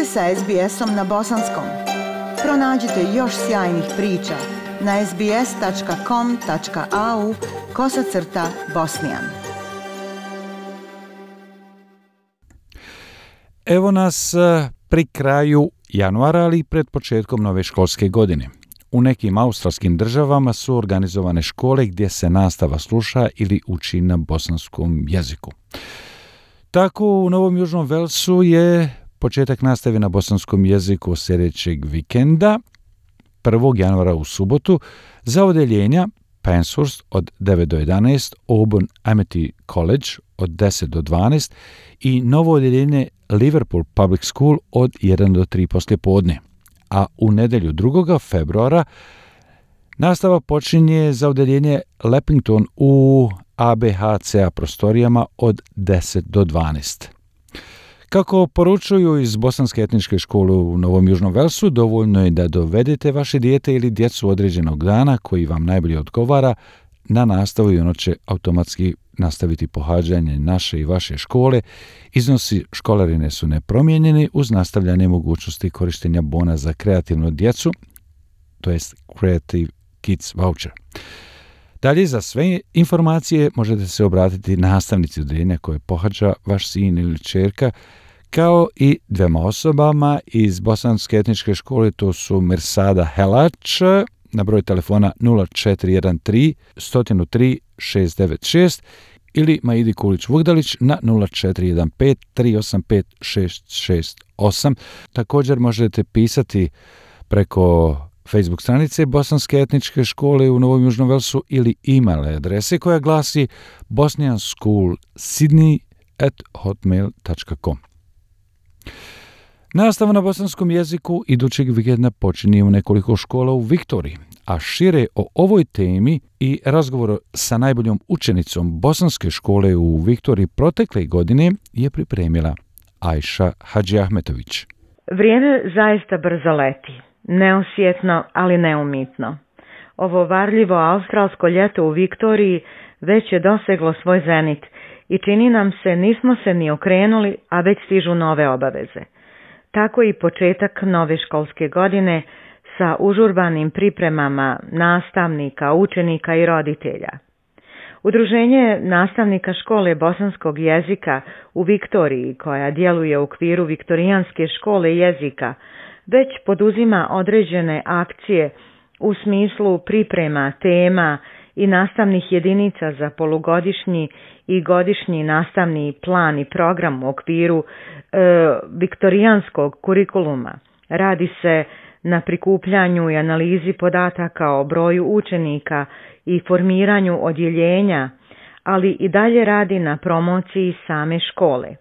ste sa SBS-om na bosanskom. Pronađite još sjajnih priča na sbs.com.au/bosnijan. Evo nas pri kraju januara, ali i pred početkom nove školske godine. U nekim australskim državama su organizovane škole gdje se nastava sluša ili uči na bosanskom jeziku. Tako u Novom Južnom Velsu je početak nastave na bosanskom jeziku sljedećeg vikenda, 1. januara u subotu, za odeljenja Penshurst od 9 do 11, Auburn Amity College od 10 do 12 i novo odeljenje Liverpool Public School od 1 do 3 poslijepodne. A u nedjelju 2. februara nastava počinje za odeljenje Leppington u ABHCA prostorijama od 10 do 12. Kako poručuju iz Bosanske etničke škole u Novom Južnom Velsu, dovoljno je da dovedete vaše dijete ili djecu određenog dana koji vam najbolje odgovara na nastavu i ono će automatski nastaviti pohađanje naše i vaše škole. Iznosi školarine su nepromijenjeni uz nastavljanje mogućnosti korištenja bona za kreativnu djecu, to jest Creative Kids Voucher. Dalje, za sve informacije možete se obratiti nastavnici odeljenja koje pohađa vaš sin ili kćerka, kao i dvema osobama iz Bosanske etničke škole, to su Mirsada Helač na broj telefona 0413 103 696 ili Maidi Kulić-Vugdalić na 0415 385 668. Također možete pisati preko Facebook stranice Bosanske etničke škole u Novom Južnom Velsu ili e-mail adrese koja glasi bosnianschoolsydney@hotmail.com. Nastava na bosanskom jeziku idućeg vikenda počinje u nekoliko škola u Viktoriji, a šire o ovoj temi i razgovor sa najboljom učenicom bosanske škole u Viktoriji protekle godine je pripremila Ajša Hadžiahmetović. Vrijeme zaista brzo leti. Neosjetno, ali neumitno. Ovo varljivo australsko ljeto u Viktoriji već je doseglo svoj zenit i čini nam se nismo se ni okrenuli, a već stižu nove obaveze. Tako i početak nove školske godine sa užurbanim pripremama nastavnika, učenika i roditelja. Udruženje nastavnika škole bosanskog jezika u Viktoriji, koja djeluje u okviru Viktorijanske škole jezika, već poduzima određene akcije u smislu priprema tema i nastavnih jedinica za polugodišnji i godišnji nastavni plan i program u okviru viktorijanskog kurikuluma. Radi se na prikupljanju i analizi podataka o broju učenika i formiranju odjeljenja, ali i dalje radi na promociji same škole.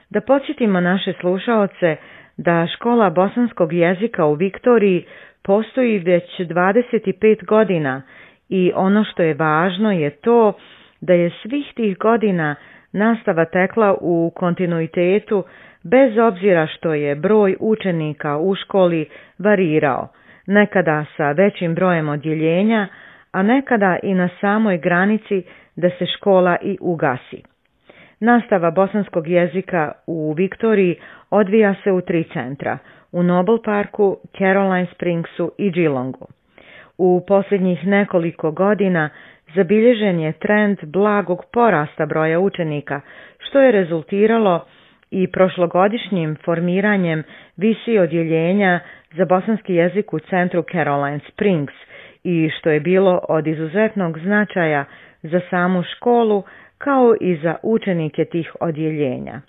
Da podsjetimo naše slušaoce da škola bosanskog jezika u Viktoriji postoji već 25 godina i ono što je važno je to da je svih tih godina nastava tekla u kontinuitetu bez obzira što je broj učenika u školi varirao, nekada sa većim brojem odjeljenja, a nekada i na samoj granici da se škola i ugasi. Nastava bosanskog jezika u Viktoriji odvija se u 3 centra, u Noble Parku, Caroline Springsu i Geelongu. U posljednjih nekoliko godina zabilježen je trend blagog porasta broja učenika, što je rezultiralo i prošlogodišnjim formiranjem visi odjeljenja za bosanski jezik u centru Caroline Springs i što je bilo od izuzetnog značaja za samu školu kao i za učenike tih odjeljenja.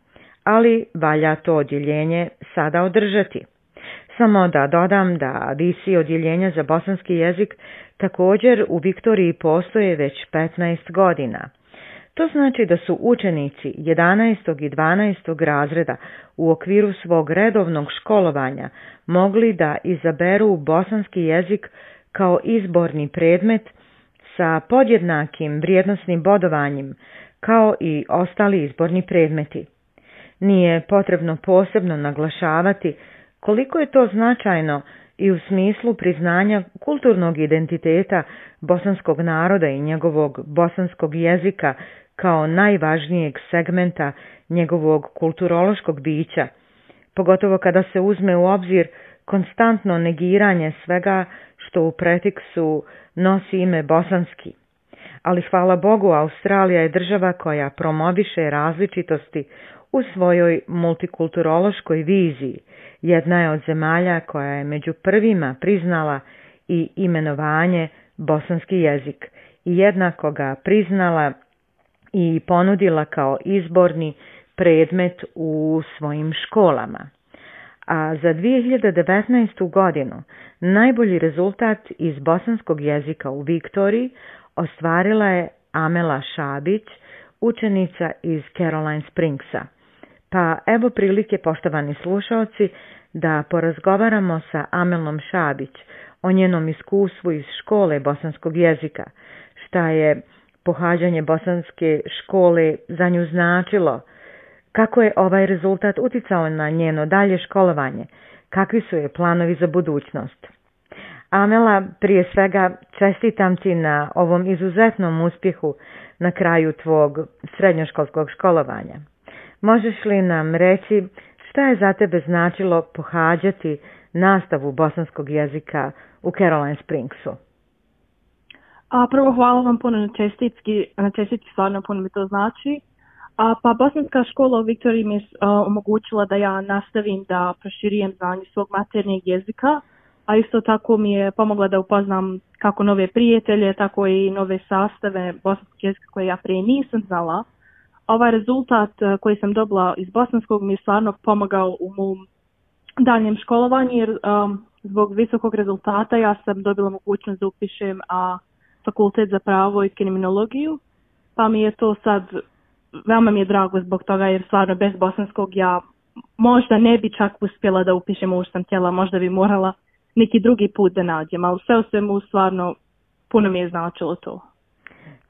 Ali valja to odjeljenje sada održati. Samo da dodam da visi odjeljenja za bosanski jezik također u Viktoriji postoje već 15 godina. To znači da su učenici 11. i 12. razreda u okviru svog redovnog školovanja mogli da izaberu bosanski jezik kao izborni predmet sa podjednakim vrijednosnim bodovanjem kao i ostali izborni predmeti. Nije potrebno posebno naglašavati koliko je to značajno i u smislu priznanja kulturnog identiteta bosanskog naroda i njegovog bosanskog jezika kao najvažnijeg segmenta njegovog kulturološkog bića, pogotovo kada se uzme u obzir konstantno negiranje svega što u prefiksu nosi ime bosanski. Ali hvala Bogu, Australija je država koja promoviše različitosti u svojoj multikulturološkoj viziji. Jedna je od zemalja koja je među prvima priznala i imenovanje bosanski jezik i jednako ga priznala i ponudila kao izborni predmet u svojim školama. A za 2019. godinu najbolji rezultat iz bosanskog jezika u Viktoriji ostvarila je Amela Šabić, učenica iz Caroline Springsa. Pa evo prilike, poštovani slušalci, da porazgovaramo sa Amelom Šabić o njenom iskustvu iz škole bosanskog jezika, šta je pohađanje bosanske škole za nju značilo, kako je ovaj rezultat uticao na njeno dalje školovanje, kakvi su je planovi za budućnost. Amela, prije svega čestitam ti na ovom izuzetnom uspjehu na kraju tvog srednjoškolskog školovanja. Možeš li nam reći šta je za tebe značilo pohađati nastavu bosanskog jezika u Caroline Springsu? Prvo hvala vam puno na čestitki, stvarno puno mi to znači. Pa bosanska škola u Viktoriji mi je omogućila da ja nastavim da proširujem znanje svog maternjeg jezika, a isto tako mi je pomogla da upoznam kako nove prijatelje, tako i nove sastave bosanskog jezika koje ja prije nisam znala. Ovaj rezultat koji sam dobila iz bosanskog mi je stvarno pomogao u mom daljem školovanju, jer zbog visokog rezultata ja sam dobila mogućnost da upišem fakultet za pravo i kriminologiju, pa mi je to sad, veoma mi je drago zbog toga, jer stvarno bez bosanskog ja možda ne bi čak uspjela da upišem ovo što sam htjela, možda bi morala neki drugi put da nađem, ali sve u svemu stvarno puno mi je značilo to.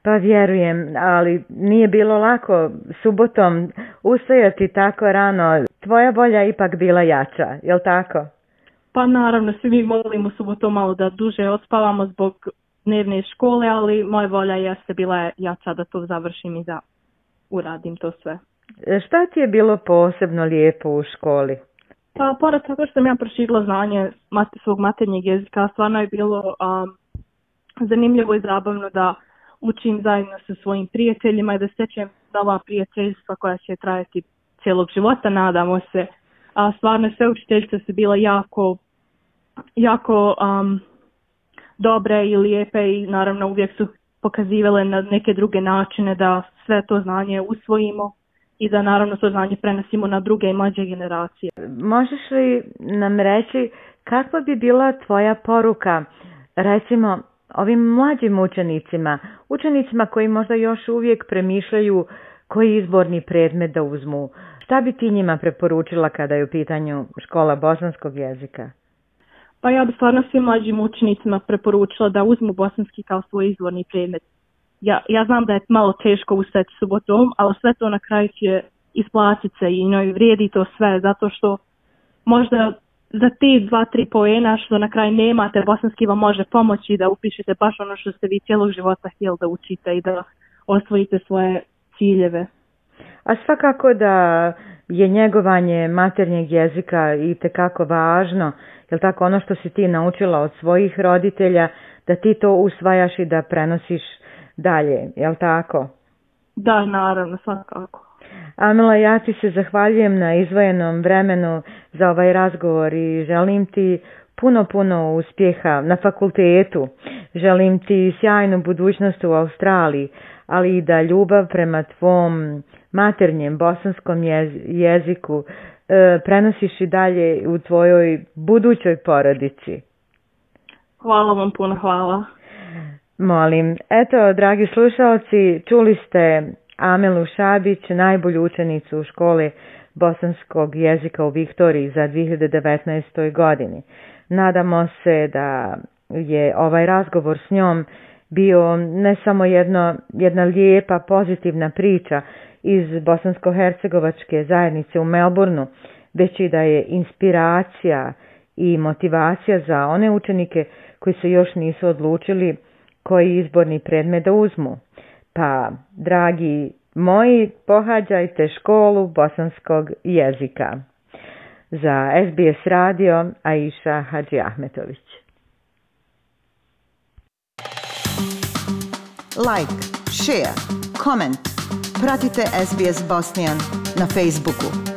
Pa vjerujem, ali nije bilo lako subotom ustajati tako rano. Tvoja volja ipak bila jača, jel tako? Pa naravno, svi mi volimo subotom malo da duže odspavamo zbog dnevne škole, ali moja volja jeste bila jača da to završim i da uradim to sve. Šta ti je bilo posebno lijepo u školi? Pa pored toga što sam ja proširila znanje svog maternjeg jezika, stvarno je bilo zanimljivo i zabavno da učim zajedno sa svojim prijateljima i da stečem nova prijateljstva koja će trajati cijelog života, nadamo se. Stvarno sve učiteljice su bile jako dobre i lijepe i naravno uvijek su pokazivale na neke druge načine da sve to znanje usvojimo i da naravno to znanje prenosimo na druge i mlađe generacije. Možeš li nam reći kakva bi bila tvoja poruka, recimo, ovim mlađim učenicima koji možda još uvijek premišljaju koji izborni predmet da uzmu? Šta bi ti njima preporučila kada je u pitanju škola bosanskog jezika? Pa ja bi stvarno svim mlađim učenicima preporučila da uzmu bosanski kao svoj izborni predmet. Ja znam da je malo teško ustati subotom, ali sve to na kraju će isplatiti se i vrijedi to sve, zato što možda za ti 2-3 poena što na kraju nemate, bosanski vam može pomoći da upišete baš ono što ste vi cijelog života htjeli da učite i da osvojite svoje ciljeve. A svakako da je njegovanje maternjeg jezika itekako važno, jel tako, ono što si ti naučila od svojih roditelja, da ti to usvajaš i da prenosiš dalje, jel tako? Da, naravno, svakako. Amela, ja ti se zahvaljujem na izdvojenom vremenu za ovaj razgovor i želim ti puno uspjeha na fakultetu. Želim ti sjajnu budućnost u Australiji, ali i da ljubav prema tvom maternjem bosanskom jeziku prenosiš i dalje u tvojoj budućoj porodici. Hvala vam puno, hvala. Molim. Eto, dragi slušalci, čuli ste Amelu Šabić, najbolju učenicu škole bosanskog jezika u Viktoriji za 2019. godini. Nadamo se da je ovaj razgovor s njom bio ne samo jedna lijepa, pozitivna priča iz bosansko-hercegovačke zajednice u Melbourneu, već i da je inspiracija i motivacija za one učenike koji se još nisu odlučili koji izborni predmet da uzmu. Pa, dragi moji, pohađajte školu bosanskog jezika. Za SBS radio, Aisha Hadži Ahmetović. Like, share, comment. Pratite SBS Bosnian na Facebooku.